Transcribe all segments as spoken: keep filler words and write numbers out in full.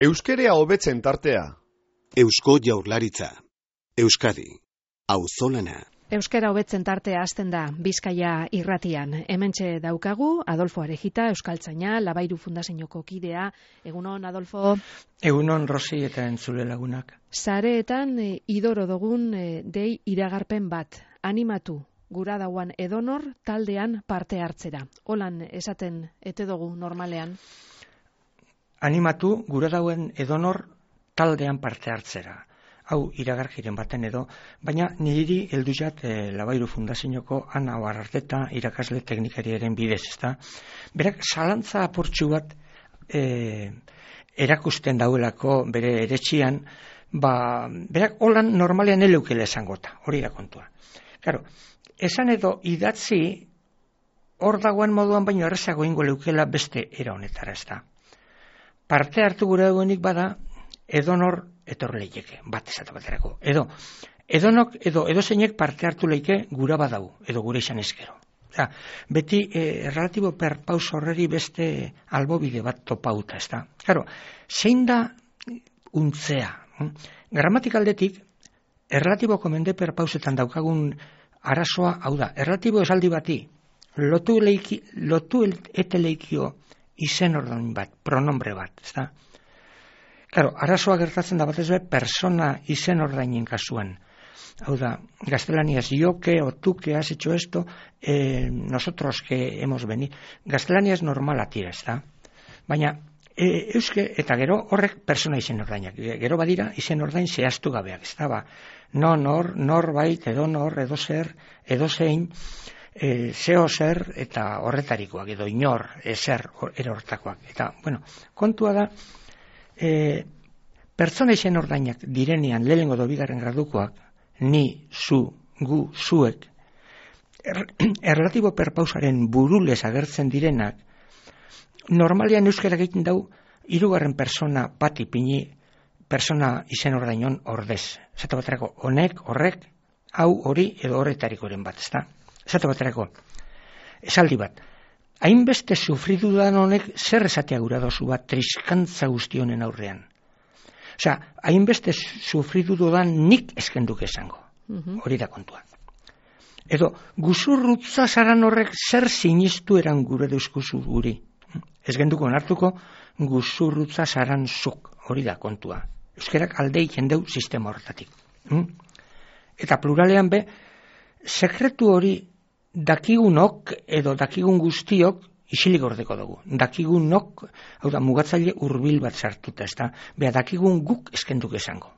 Euskerea hobetzen tartea. Eusko Jaurlaritza. Euskadi. Auzolana. Euskera hobetzen tartea hasten da Bizkaia irratian. Hementxe daukagu Adolfo Arejita, euskaltzaina, Labairu Fundazioko kidea. Egunon, Adolfo. Egunon, Rosi eta entzule lagunak. Sareetan e, idoro dugun e, dei iragarpen bat. Animatu, gura dauan edonor taldean parte hartzera. Holan esaten ete dugu normalean. Animatu, gura dauen edonor taldean parte hartzera. Hau iragarkiren baten edo, baina niri heldu jat e, Labairu Fundazioko Ana Oararteta irakasle teknikariaren bidez, ezta? Berak zalantza apurtxu bat e, erakusten dauelako bere eretxian, ba, berak holan normalean eleukele esangota, hori da kontua. Claro, esan edo idatzi hor dagoen moduan baino errezago ingo leukela beste era honetara, ezta? Parte hartu gure duenik bada, edonor etor leike, bat esate baterako. Edo, edonok, edo edozeinek parte hartu leike gura badau, edo gure izan ezkero. Oza, beti eh, relatibo perpaus horreri beste albobide bat topauta, ez da. Claro, zein da untzea? Hm? Gramatikaldetik, erlatiboko mende perpausetan daukagun arazoa, hau da, erlatibo esaldi bati, lotu, leiki, lotu eteleikio izen ordain bat, pronombre bat, ez da. Claro, arazoa gertatzen da batez be persona izen ordainen kasuan. Hau da, gaztelaniaz, yo que o tú que has hecho esto, eh, nosotros que hemos venido. Gaztelaniaz normala tira, ez da. Baina, e, euske, eta gero horrek persona izen ordainak. Gero badira izen ordain zehaztu gabeak, ez da, ba. No, nor, norbait, edo nor, edo zer, edo zein, e, zeo zer, eta horretarikoak, edo inor, ezer, erortakoak. Eta, bueno, kontua da, E, pertsona izen ordainak direnean lehengo do bigarren gradukoak, ni, zu, gu, zuek, er, erlatibo perpausaren burulez agertzen direnak, normalean euskara egiten dau, hirugarren persona bat ipini, persona izen ordainon ordez. Zata baterako, honek, horrek, hau, hori, edo horretarikoren bat, ezta? Zata baterako, esaldi bat, hainbeste sufridu dan honek zer esatea gura dozu bat triskantza guztionen aurrean. Osea, hainbeste sufridu dan nik eskenduke esango. Hori da kontua. Edo, guzurrutza zaran horrek zer sinistu eran gure deuskuzu guri. Ez genduko onartuko guzurrutza zaran zuk. Hori da kontua. Euskerak aldei jendeu sistema horretatik. Eta pluralean be, sekretu hori dakigunok edo dakigun guztiok isilik gordeko dugu. Dakigunok, hau da, mugatzaile hurbil bat sartuta, ez da, beha dakigun guk eskenduk esango.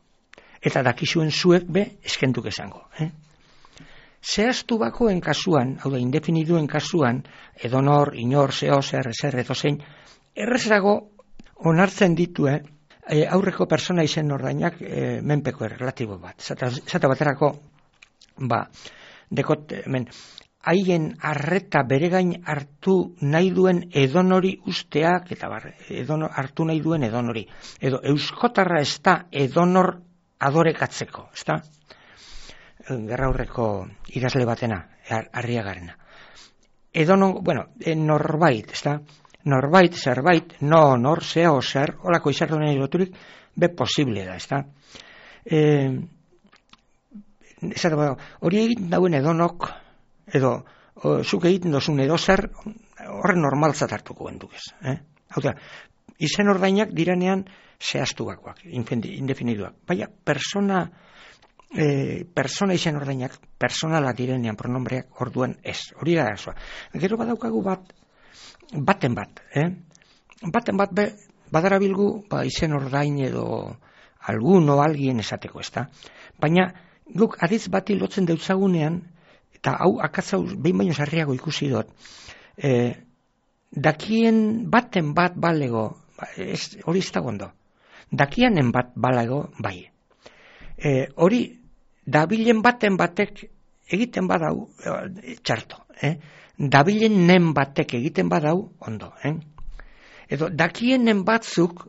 Eta dakizuen zuek be eskenduk esango. Eh? Zehaztu bakoen kasuan, hau da, indefiniduen kasuan, edonor, inor, zeo, zer, ezer, edo zein, errezago onartzen ditue eh, aurreko persona izen ordainak eh, menpeko erlatibo bat. Zata, zata baterako, ba, dekot, men, haien arreta bere gain hartu nahi duen edonori usteak, eta bar, edonor, hartu nahi duen edonori. Edo euskotarra ez da edonor adorekatzeko, ez da? Gerra aurreko idazle batena, Arriagarena. Edonon, bueno, norbait, ez da? Norbait, zerbait, no, nor, zeo, zer, holako izartu nahi loturik, be posible da, ez da? E, hori egiten dauen edonok, edo, o, zuk egiten dozun edo zer, horren normaltzat hartuko genduk ez. Eh? Hau da, izen ordainak diranean zehaztu bakoak, indefiniduak. Baina, persona, e, persona izen ordainak, personala direnean pronombreak orduan ez. Hori da gazoa. Gero badaukagu bat, baten bat, eh? Baten bat, be, badarabilgu, ba, izen ordain edo alguno, alguien esateko, ez da? Baina, guk aditz bati lotzen deutzagunean, eta hau akatzau behin baino sarriago ikusi dut, e, dakien baten bat balego, ez, hori ez da gondo, dakianen bat balego bai. E, hori, dabilen baten batek egiten badau, e, txarto, eh? Dabilen nen batek egiten badau, ondo. Eh? Edo, dakienen batzuk,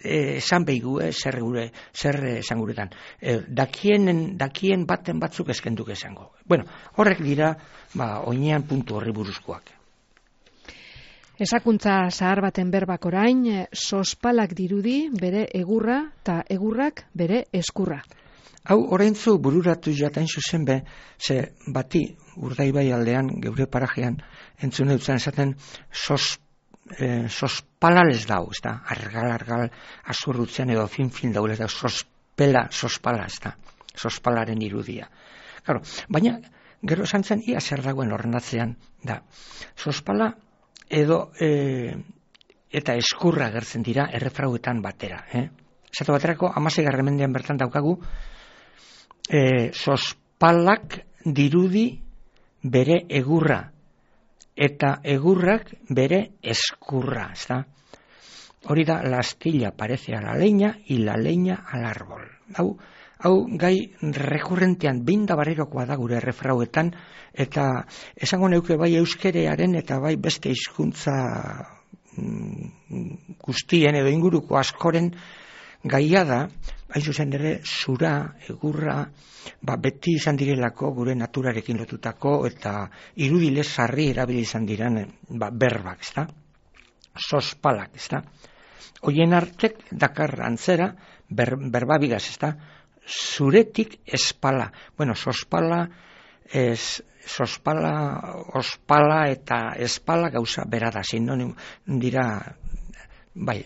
esan behigu, eh, zer gure, zer esan guretan. Eh, dakien, dakien baten batzuk eskenduk esango. Bueno, horrek dira, ba, oinean puntu horri buruzkoak. Esakuntza zahar baten berbak orain, sospalak dirudi bere egurra eta egurrak bere eskurra. Hau oraintzu bururatu jatain zuzen be, ze bati Urdaibai aldean, geure parajean, entzune dutzen esaten sos, eh, sospalales dau, ez da, argal-argal azurrutzen edo fin-fin daule, da, sospela, sospala, ez da, sospalaren irudia. Claro, baina, gero esan zen, ia zer dagoen ordenatzean, da, sospala edo e, eta eskurra gertzen dira errefrauetan batera. Eh? Zato baterako, hamaseigarren mendean bertan daukagu, e, sospalak dirudi bere egurra, eta egurrak bere eskurra. ¿Está? Hori da, la astilla parece a la leña y la leña al árbol. Hau, hau gai rekurrentean binda barerokoa da gure errefrauetan, eta esango neuke bai euskerearen eta bai beste hizkuntza mm, guztien edo inguruko askoren gaia da, hain zuzen ere, zura, egurra, ba, beti izan direlako gure naturarekin lotutako eta irudile sarri erabili izan diren ba, berbak, ezta? Sospalak, ezta? Hoien artek dakar antzera ber, berbabigaz, ezta? Zuretik espala. Bueno, sospala, es, sospala, ospala eta espala gauza berada, sinonim dira, bai,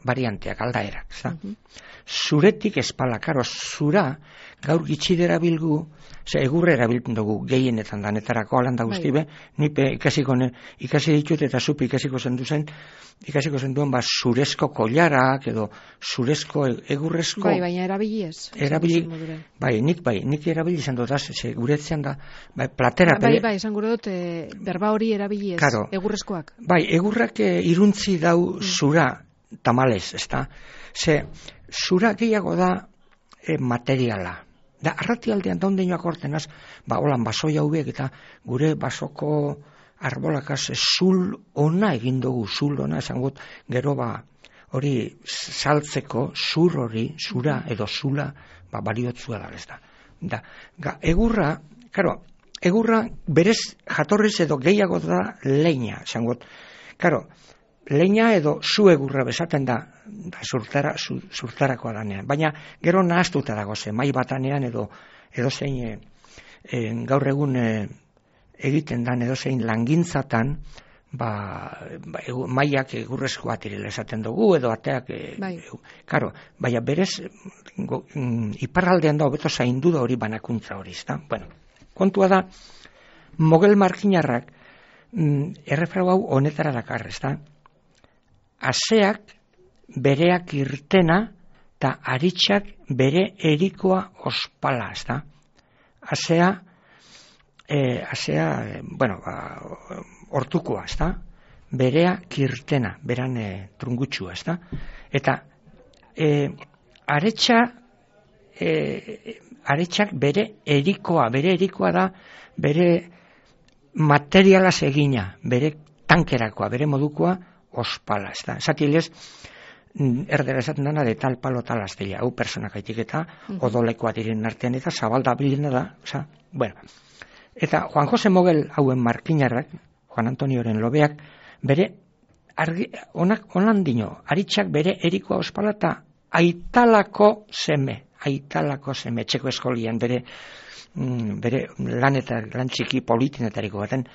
varianteak, aldaerak, ezta? Uh-huh. Zuretik espala, karo, zura, gaur gitxi derabilgu, ze egurre erabiltzen dugu gehienetan danetarako alanda guzti be, nipe ikasiko ne, ikasi ditut eta zupi ikasiko zendu zen, ikasiko zenduen ba zurezko kollarak edo zurezko egurrezko. Bai, baina erabili ez. Erabili, bai, nik bai, nik erabili izan dut, ze guretzean da, bai, platera. Bai, bai, bai, izan gure dut, e, berba hori erabili ez, claro, egurrezkoak. Bai, egurrak e, iruntzi dau zura tamalez, ezta? Ze, zura gehiago da e, materiala. Da, arratialdean daundeinoak ortenaz, ba, holan basoi hauek eta gure basoko arbolakaz zul ona egin dugu, zul ona, esan gut, gero ba, hori saltzeko, zur hori, zura edo zula, ba, baliotzua da, ez da. Da, ga, egurra, karo, egurra berez jatorriz edo gehiago da leña, esan gut. Karo, leña edo zu egurra bezaten da, da zurtara, zu, zurtarakoa danean. Baina gero nahaztuta dago ze, mai batanean edo edo zein e, e, gaur egun e, egiten dan edo zein langintzatan, ba, ba egu, maiak egurrezkoa direla esaten dugu edo ateak, e, bai. E, karo, baina berez go, mm, iparraldean da hobeto zaindu da hori banakuntza hori, ezta? Bueno, kontua da, mogel markinarrak mm, errefrau hau honetara dakar, ezta? Aseak bereak irtena eta aritxak bere erikoa ospala, ez da? Asea, e, asea, e, bueno, ba, hortukoa, ez da? Berea kirtena, beran e, trungutxua, ez da? Eta e, aretxa, e, aretxak bere erikoa, bere erikoa da, bere materialaz egina, bere tankerakoa, bere modukoa, ospala, ez da. Esatilez, erdera esaten dana de tal palo tal astilla, hau personak aitik eta uh-huh. odolekoa diren artean eta zabalda bilena da, oza, bueno. Eta Juan Jose Mogel hauen markinarrak, Juan Antonioren lobeak, bere, argi, onak, onan dino, aritxak bere erikoa ospala eta aitalako seme, aitalako seme, txeko eskolian, bere, mm, bere lan eta lan txiki politinetariko baten,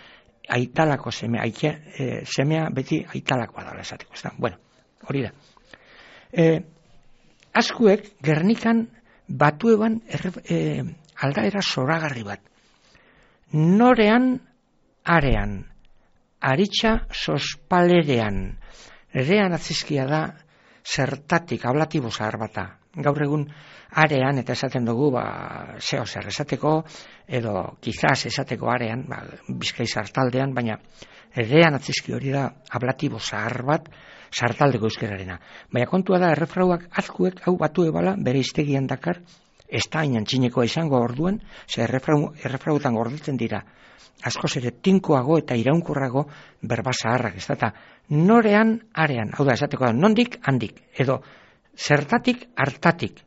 aitalako semea, aite, e, semea beti aitalakoa dala esateko, ez da? Bueno, hori da. E, askuek Gernikan batu eban er, e, aldaera zoragarri bat. Norean arean, aritxa sospalerean, erean atzizkia da zertatik, ablatibo zahar bata. Gaur egun arean, eta esaten dugu, ba, zeo zer esateko, edo kizaz esateko arean, ba, Bizkai sartaldean, baina erean atzizki hori da ablatibo zahar bat, sartaldeko euskerarena. Baina kontua da, errefrauak azkuek hau batu ebala, bere iztegian dakar, ez da hainan txinekoa izango orduen, ze errefrau, errefrauetan gordetzen dira, askoz ere tinkoago eta iraunkorrago berba zaharrak, ez da, eta norean arean, hau da, esateko da, nondik handik, edo zertatik hartatik,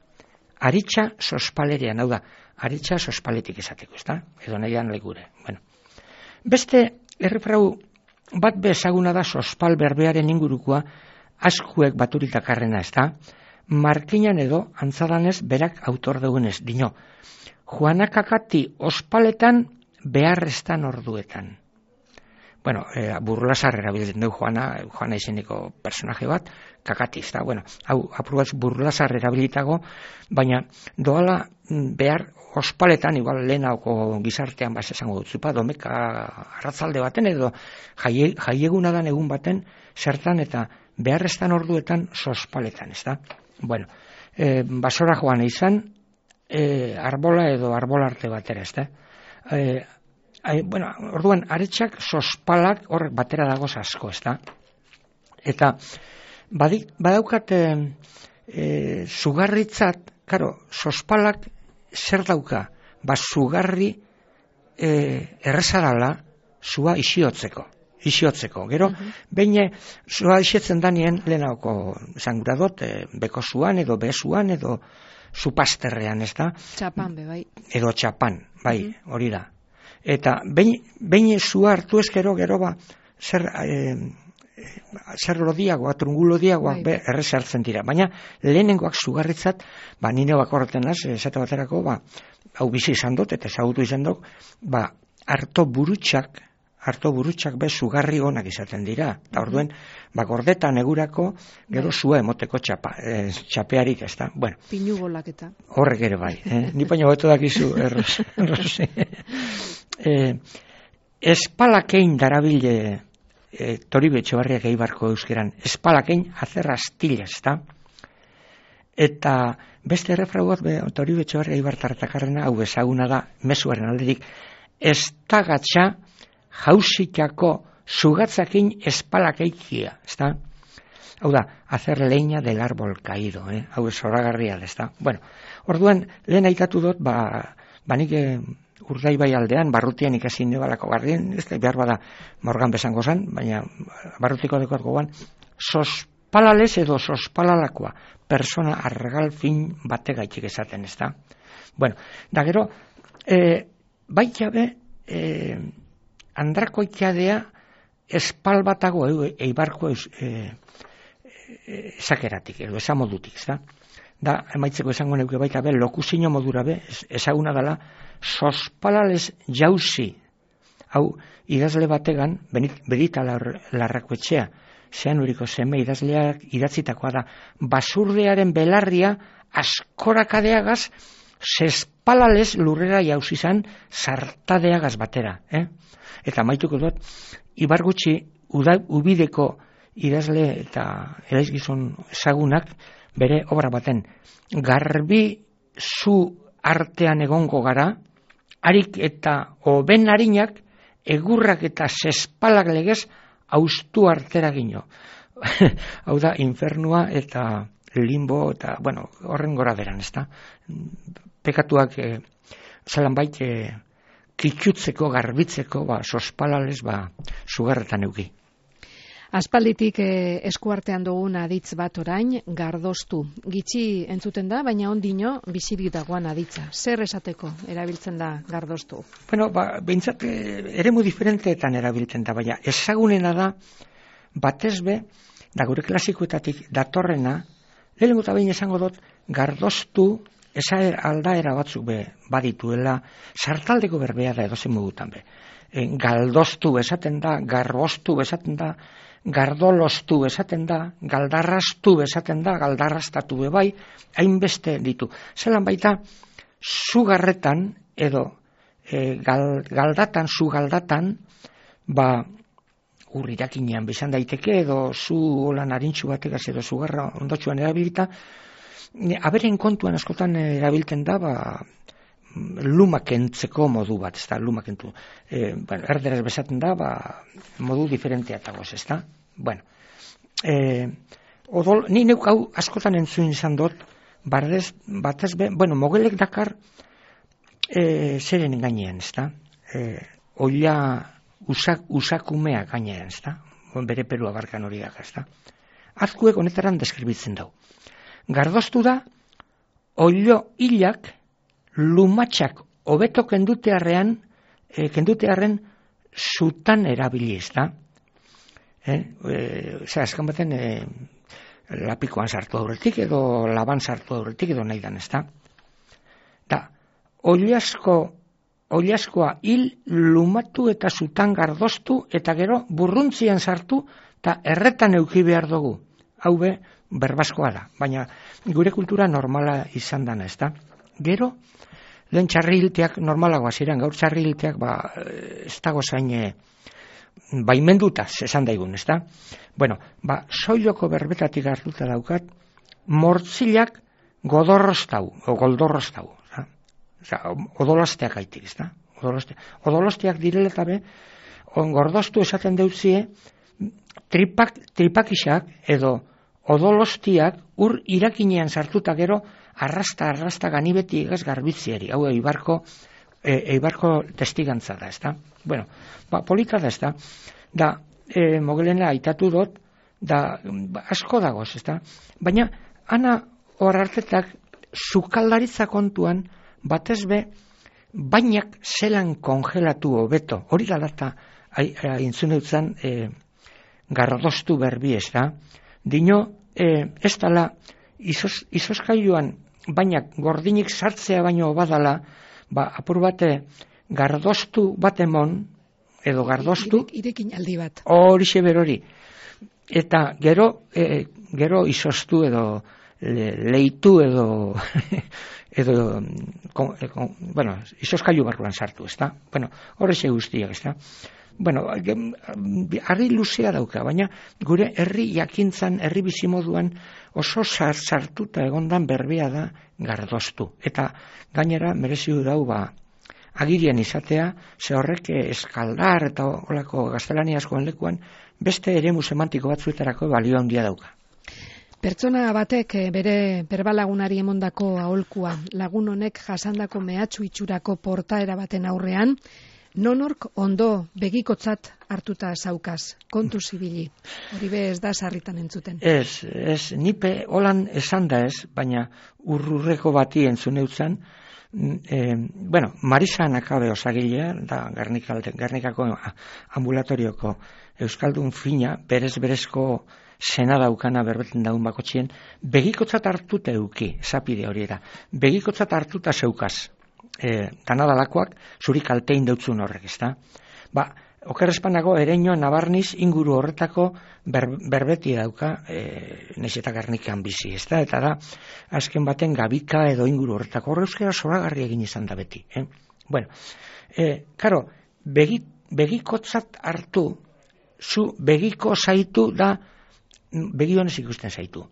aritxa sospalerean, hau da, aritxa sospaletik esateko, ez da, edo nahian legure. Bueno. Beste errefrau bat bezaguna da sospal berbearen ingurukoa, askuek baturitakarrena, ez da? Markinan edo, antzadanez, berak autor dugunez, dino. Juana Kakati ospaletan beharrestan orduetan. Bueno, e, burlasar erabiltzen dugu Juana, Juana izeneko personaje bat, Kakati, ez da, bueno, hau, apurbatz burlasar erabilitago, baina doala behar ospaletan, igual lehenauko gizartean baz esango dut, zupa, domeka arratzalde baten edo jaie, jaieguna dan egun baten, zertan eta beharrestan orduetan sospaletan, ez da. Bueno, e, basora joan izan, e, arbola edo arbolarte batera, ez da. E, e, bueno, orduan, aretsak sospalak horrek batera dagoz asko, ez da. Eta, badik, badaukat e, e, sugarritzat, karo, sospalak zer dauka, ba, sugarri e, errezarala zua isiotzeko. isiotzeko. Gero, uh-huh. behin zua isetzen danien, lehenako zanguradot, e, beko zuan edo bezuan edo zupasterrean, ez da? Txapan, be, bai. Edo txapan, bai, uh-huh. hori da. Eta behin zua hartu ezkero, gero ba, zer, e, zer lodiagoa, trungu lodiagoa, bai. Errez hartzen dira. Baina, lehenengoak sugarritzat, ba, nine bakorretan naz, esate baterako, ba, hau bizi izan dut, eta ezagutu izan dut, ba, harto burutxak, harto burutxak be sugarri onak izaten dira. Eta orduen, ba, gordeta negurako, gero zua emoteko txapa, e, txapearik, ez da. Bueno, pinu bolak eta. Horrek ere bai. Eh? Ni baino beto dakizu, erros. erros eh, espalakein darabile e, Toribe Etxebarriak eibarko euskeran. Espalakein azerra astila, ez da. Eta beste errefrau bat, Toribe Etxebarriak eibartartakarrena, hau ezaguna da, mezuaren alderik, ez tagatxa jausikako sugatzakin espalakeikia, ez da? Hau da, hacer leña del árbol caído, eh? Hau ez horagarria, ez da? Bueno, orduan, lehen aitatu dut, ba, banik eh, Urdaibai aldean, barrutian ikasi nebalako garrien, ez da, behar bada morgan bezango zan, baina barrutiko dekot gogoan, sospalales edo sospalalakoa, persona argal fin bate gaitik esaten, ez da? Bueno, da gero, eh, baitabe, eh, andrako ikadea espal batago eibarko esakeratik, edo esamodutik, da? Da, emaitzeko esango neuke baita be, lokusino modura be, ezaguna dela, sospalales jauzi, hau, idazle bategan, Benita Larrakoetxea, zean uriko zeme idazleak idatzitakoa da, basurdearen belarria askorakadeagaz, zespalales lurrera jauzi zan, sartadeagaz batera, eh? Eta maituko dut, ibargutxi ubideko idazle eta eraizgizon ezagunak bere obra baten. Garbi zu artean egongo gara, harik eta hoben harinak, egurrak eta zespalak legez, haustu artera gino. Hau da, infernua eta limbo eta, bueno, horren gora beran, ez da? Pekatuak, eh, zelan bait, eh, kitxutzeko, garbitzeko, ba, sospalales, ba, sugarretan euki. Aspalditik eh, eskuartean dugun aditz bat orain, gardoztu. Gitxi entzuten da, baina ondino bizirik dagoan aditza. Zer esateko erabiltzen da gardoztu? Bueno, ba, behintzat, eremu diferenteetan erabiltzen da, baina ezagunena da, batez be, da gure klasikoetatik datorrena, lehenengo eta behin esango dut, gardoztu, esa aldaera batzuk be badituela, sartaldeko berbea da edozen modutan be. E, galdoztu esaten da, garboztu esaten da, gardolostu esaten da, galdarrastu esaten da, galdarrastatu be bai, hainbeste ditu. Zelan baita, sugarretan edo e, gal, galdatan, sugaldatan, ba, urrirakinean bezan daiteke edo zu holan harintxu bategaz edo sugarra ondotxuan erabilita, aberen kontuan askotan erabiltzen da, ba, lumakentzeko modu bat, ez da, lumakentu. E, bueno, erderaz bezaten da, ba, modu diferenteatagoz, ez da? Bueno, e, odol, ni neuk hau askotan entzun izan dut, bardez, batez be, bueno, mogelek dakar e, zeren gainean, ez da? E, oila usak, usakumea gainean, ez da? Bere perua barkan hori daga, ez da? Azkuek honetaran deskribitzen dau. Gardoztu da, oilo hilak, lumatxak hobeto kendutearrean, e, kendutearren zutan erabiliz da. Eh? E, Zer, azken baten e, lapikoan sartu aurretik edo laban sartu aurretik edo nahi dan, ez da? Da, oliasko, oliaskoa hil lumatu eta zutan gardoztu eta gero burruntzian sartu eta erretan euki behar dugu. Hau be, berbaskoa da, baina gure kultura normala izan dana, ez da? Gero, lehen txarrilteak normalagoa ziren, gaur txarrilteak ba, ez dago zain e, baimenduta, esan daigun, ez da? Bueno, ba, soiloko berbetatik hartuta daukat, mortzilak godorrostau, o goldorrostau, Oza, odolasteak aitik, ez da? Odolasteak, odolasteak direla eta be, gordoztu esaten deutzie, tripak, tripakisak edo odolostiak ur irakinean sartuta gero arrasta, arrasta ganibeti egaz garbitzieri. Hau eibarko, e, eibarko testigantza da, ez da? Bueno, ba, polita da, ez da? Da, e, mogelena aitatu dut, da, ba, asko dagoz, ez da? Baina, ana hor hartetak, sukaldaritza kontuan, batez be, bainak zelan kongelatu hobeto. Hori galata, intzuneutzen, e, gardoztu berbi, ez da? Dino, e, ez dala, izos, izoskailuan bainak gordinik sartzea baino badala, ba, apur bate gardoztu bat emon, edo gardoztu, irekin aldi bat. Horixe berori. Eta gero, e, gero izostu edo le, leitu edo, edo, kon, kon, bueno, izoskailu barruan sartu, ez da? Bueno, horrexe guztiak, ez da? Bueno, harri luzea dauka, baina gure herri jakintzan, herri bizimoduan oso sartuta egondan berbea da gardoztu. Eta gainera mereziu dau ba, agirian izatea, ze horrek eskaldar eta olako gaztelaniazkoen lekuan beste eremu semantiko batzuetarako balio handia dauka. Pertsona batek bere berbalagunari emondako aholkua, lagun honek jasandako mehatxu itxurako portaera baten aurrean, nonork ondo begikotzat hartuta zaukaz, kontu zibili. Hori be ez da sarritan entzuten. Ez, ez, nipe holan esan da ez, baina urrurreko bati entzun eutzen, e, bueno, Marisa Nakabe osagilea, da Gernikako ambulatorioko euskaldun fina, berez-berezko sena daukana berbeten daun bakotxien, begikotzat hartuta euki, zapide hori da, begikotzat hartuta zeukaz. E, danadalakoak zuri kaltein deutzun horrek, ez da? Ba, okerrezpanago ereino nabarniz inguru horretako ber, berbeti dauka e, naiz eta Gernikan bizi, ez da? Eta da, azken baten gabika edo inguru horretako horre euskera zoragarri egin izan da beti. Eh? Bueno, e, karo, begi, begikotzat hartu, zu begiko zaitu da, begionez ikusten zaitu.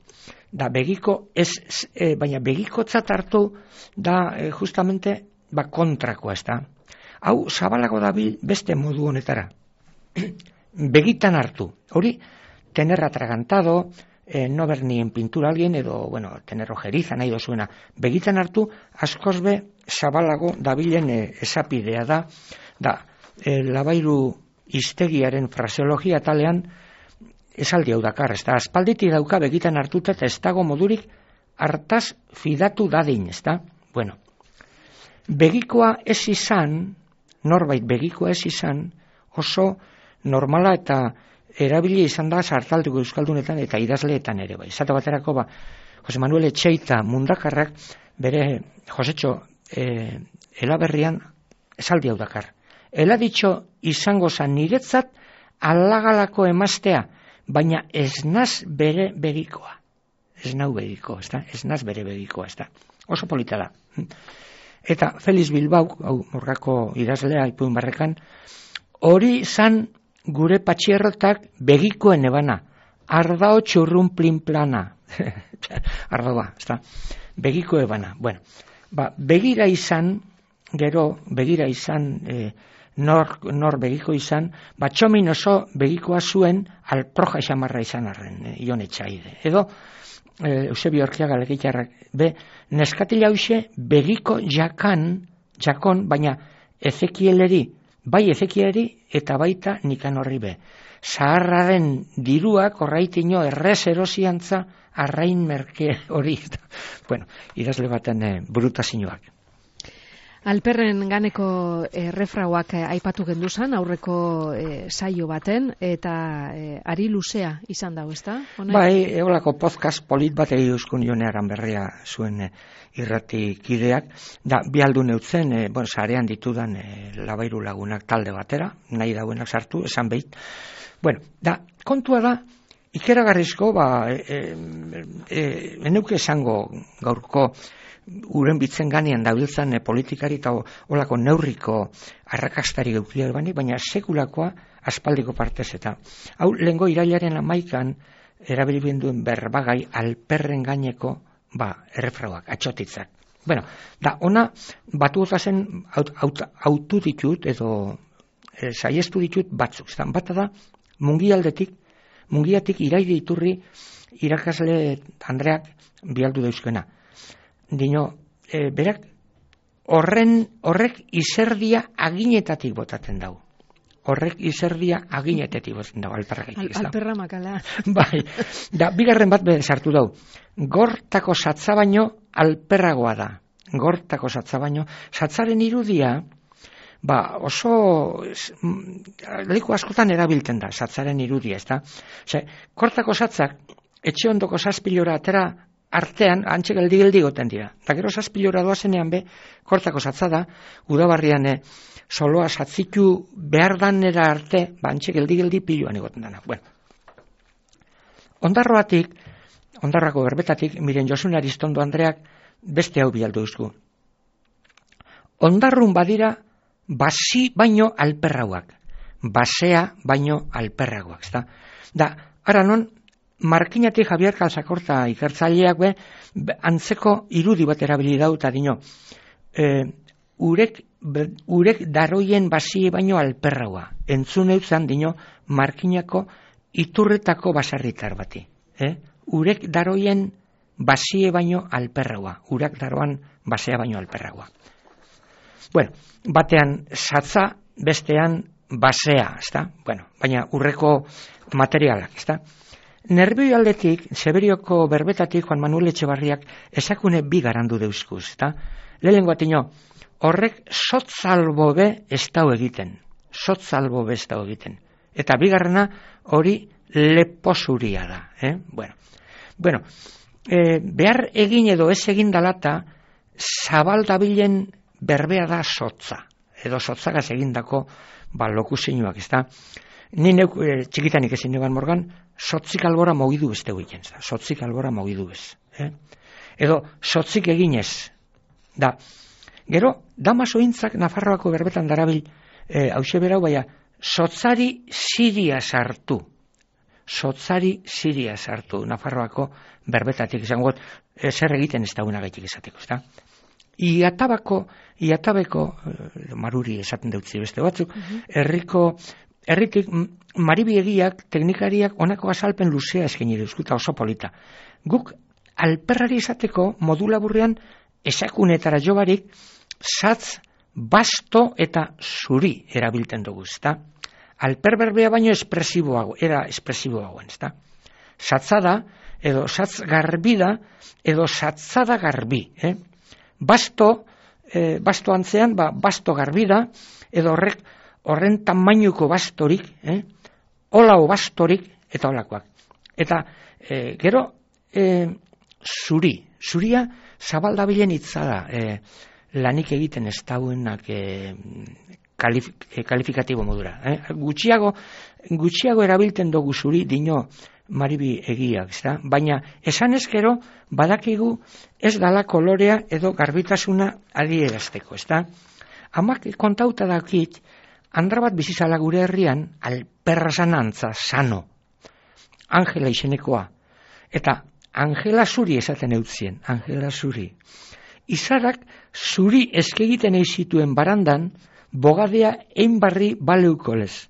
Da, begiko, ez, e, baina begikotzat hartu da e, justamente ba kontrakoa, ez da. Hau zabalago dabil beste modu honetara. Begitan hartu. Hori, tener atragantado, eh, no ver ni en pintura alguien, edo, bueno, tener ojeriza nahi dozuena. Begitan hartu, askoz be zabalago dabilen e, esapidea da, da, e, labairu iztegiaren fraseologia talean, esaldi hau dakar, ez da, aspalditik dauka begitan hartuta eta ez dago modurik hartaz fidatu dadin, ez da? Bueno, begikoa ez izan, norbait begikoa ez izan, oso normala eta erabili izan da sartaldeko euskaldunetan eta idazleetan ere bai. Zata baterako ba, Jose Manuel Etxeita mundakarrak bere Josetxo eh, elaberrian esaldi hau dakar. Ela ditxo izango zan niretzat alagalako emaztea, baina ez naz bere begikoa. Ez nau begiko, ez da? Ez naz bere begikoa, ez da? Oso polita da. Eta Feliz Bilbao, hau morgako idazlea ipuin barrekan, hori zan gure patxierrotak begikoen ebana. Ardao txurrun plin plana. Ardoa, ez da? Begiko ebana. Bueno, ba, begira izan, gero, begira izan, eh, nor, nor begiko izan, ba, txomin oso begikoa zuen alproja xamarra izan arren, eh, Ion Etxaide. Edo, eh, Eusebio Orkiaga legitarrak, be, neskatila hause begiko jakan, jakon, baina Ezekieleri, bai Ezekieleri eta baita Nikanorri be. Zaharraren diruak orraitino errez erosiantza arrain merke hori. Bueno, idazle baten eh, brutazioak. Alperren ganeko errefrauak aipatu genduzan, aurreko e, saio baten, eta e, ari luzea izan dago, ezta? Bai, eolako podcast polit bat egi euskun jonearan berria zuen e, irrati kideak, da, bi aldu neutzen, e, bueno, sarean ditudan e, labairu lagunak talde batera, nahi dauenak sartu, esan behit. Bueno, da, kontua da, ikeragarrizko, ba, e, e, e, eneuke esango gaurko, uren bitzen ganean dabiltzan e, politikari eta olako neurriko arrakastari geukliar bani, baina sekulakoa aspaldiko partez eta. Hau, lehengo irailaren amaikan erabilien duen berbagai alperren gaineko ba, errefrauak, atxotitzak. Bueno, da, ona batu otazen autu ditut edo e, saiestu ditut batzuk. Zan, bata da, mungialdetik, mungiatik iraide iturri irakasle Andreak bialdu dauzkena. Dino, e, berak, horren, horrek izerdia aginetatik botatzen dau. Horrek izerdia aginetatik botatzen dau, alperrak. Al, alperra makala. Bai, da, bigarren bat sartu dau. Gortako satza baino alperragoa da. Gortako satza baino. Satzaren irudia, ba, oso, leku askotan erabiltzen da, satzaren irudia, ez da? Ose, gortako satzak, etxe ondoko zazpilora atera, artean, antxe geldi-geldi goten dira. Eta gero zazpilora doazenean be, kortako satza da, udabarrian eh, soloa satzitu behar danera arte, ba, antxe geldi-geldi piloan egoten dana. Bueno, ondarroatik, ondarrako berbetatik, miren Josun Aristondo Andreak beste hau bialdu duzku. Ondarrun badira, basi baino alperrauak. Basea baino alperrauak. Da, da ara non, Markinatik Javier Calzakorta ikertzaileak be, antzeko irudi bat erabili dau, eta dino, e, urek, be, urek daroien basie baino alperraua. Entzun eutzan, dino, Markinako iturretako basarritar bati. Eh? Urek daroien basie baino alperraua. Urak daroan basea baino alperraua. Bueno, batean satza, bestean basea, ezta? Bueno, baina urreko materialak, ezta? Nerbio aldetik, Seberioko berbetatik Juan Manuel Etxebarriak esakune bi garandu deuzkuz, eta lehenengo atino, horrek sotzalbobe ez dau egiten, sotzalbobe ez dau egiten, eta bigarrena hori leposuria da, eh? Bueno, bueno e, behar egin edo ez egin dalata, zabaldabilen berbea da sotza, edo sotzagaz egindako ba, lokuzinuak, ez da? Ni neuk e, txikitanik ezin negan morgan, sotzik albora mogidu beste egiten, sotzik albora mogidu bez. Eh? Edo, sotzik eginez. Da, gero, damaso intzak Nafarroako berbetan darabil, e, hause berau, baina, sotzari siria sartu. Sotzari siria sartu, Nafarroako berbetatik, izango, e, zer egiten ez dauna gaitik esateko, ez da? Iatabako, iatabeko, e, maruri esaten deutzi beste batzuk, herriko, herritik maribiegiak, teknikariak onako azalpen luzea eskaini duzkuta oso polita. Guk alperrari esateko modulaburrean esakunetara jobarik satz, basto eta zuri erabiltzen dugu, ezta? Alperberbea baino espresiboago, era espresiboagoen, ezta? Satzada, edo satz garbi da, edo satzada garbi, eh? Basto, eh, basto antzean, ba, basto garbi da, edo horrek horren tamainuko bastorik, eh? Olao bastorik, eta olakoak. Eta e, gero, e, zuri, zuria zabaldabilen hitza da, e, lanik egiten ez dauenak e, kalif, e, kalifikatibo modura. Eh? Gutxiago, gutxiago erabiltzen dugu zuri dino maribi egiak, ezta? Baina esan ez gero, badakigu ez dala kolorea edo garbitasuna adierazteko, ezta? Amak kontauta dakit, andra bat bizizala gure herrian, alperra sanantza, sano, Angela izenekoa, eta Angela zuri esaten eutzien, Angela zuri. Izarak zuri eskegiten eizituen barandan, bogadea einbarri baleukolez.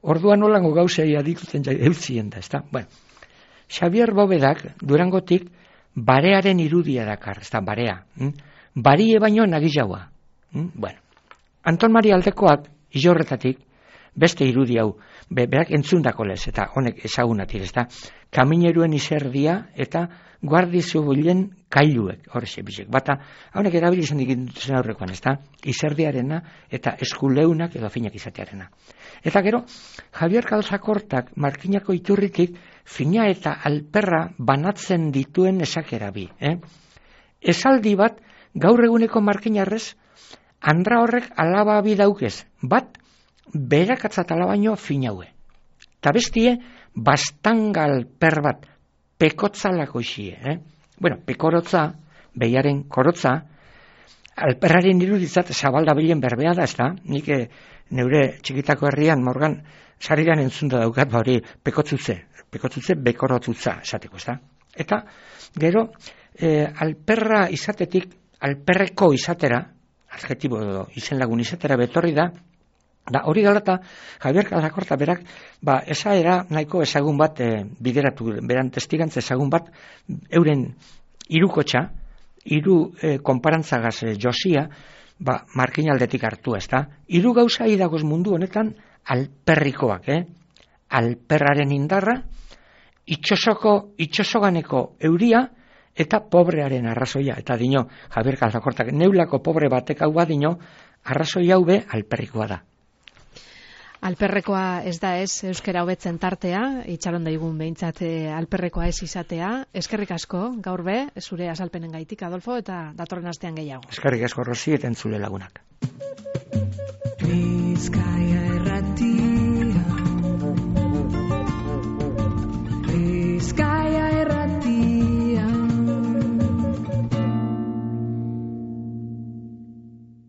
Orduan holango gauzei adikuten eutzien da, ezta? Bueno, Xavier Bobedak, Durangotik, barearen irudia dakar, ezta, barea. Hm? Barie baino nagizaua. Hm? Bueno, Anton Maria Aldekoak, Ilorretatik, beste irudi hau, be, berak entzundako lez, eta honek ezagunat irezta, kamineruen izerdia eta guardi zibilen kailuek, horrexe bizek. Bata, honek erabili izan dikintzen aurrekoan, ezta? Izerdiarena eta eskuleunak edo finak izatearena. Eta gero, Javier Calzacortak markinako iturritik fina eta alperra banatzen dituen esakera bi. Eh? Esaldi bat, gaur eguneko markinarrez, andra horrek alaba bi daukez, bat, berakatzat alabaino finaue. Ta bestie, bastangal per bat, pekotzalako isie. Eh? Bueno, pekorotza, behiaren korotza, alperraren iruditzat zabaldabilen berbea da, ez da? Nik eh, neure txikitako herrian, morgan, sarigan entzunda daukat, ba hori, pekotzutze, pekotzutze, bekorotzutza, esateko, ez da? Eta, gero, eh, alperra izatetik, alperreko izatera, adjetibo edo izen lagun izatera betorri da, da hori galata, Javier Calzacorta berak, ba, esa era nahiko ezagun bat, e, bideratu, beran testigantza ezagun bat, euren irukotxa, hiru e, konparantzagaz e, josia, ba, markinaldetik hartu, ez da? Hiru gauza idagoz mundu honetan, alperrikoak, eh? Alperraren indarra, itxosoko, itxosoganeko euria, eta pobrearen arrazoia, eta dino, Javier Calzacortak, neulako pobre batek hau badino, arrazoi hau be alperrikoa da. Alperrekoa ez da ez euskara hobetzen tartea, itxaron daigun behintzat alperrekoa ez izatea. Eskerrik asko, gaur be, zure azalpenen gaitik, Adolfo, eta datorren astean gehiago. Eskerrik asko, Rosi, eta entzule lagunak.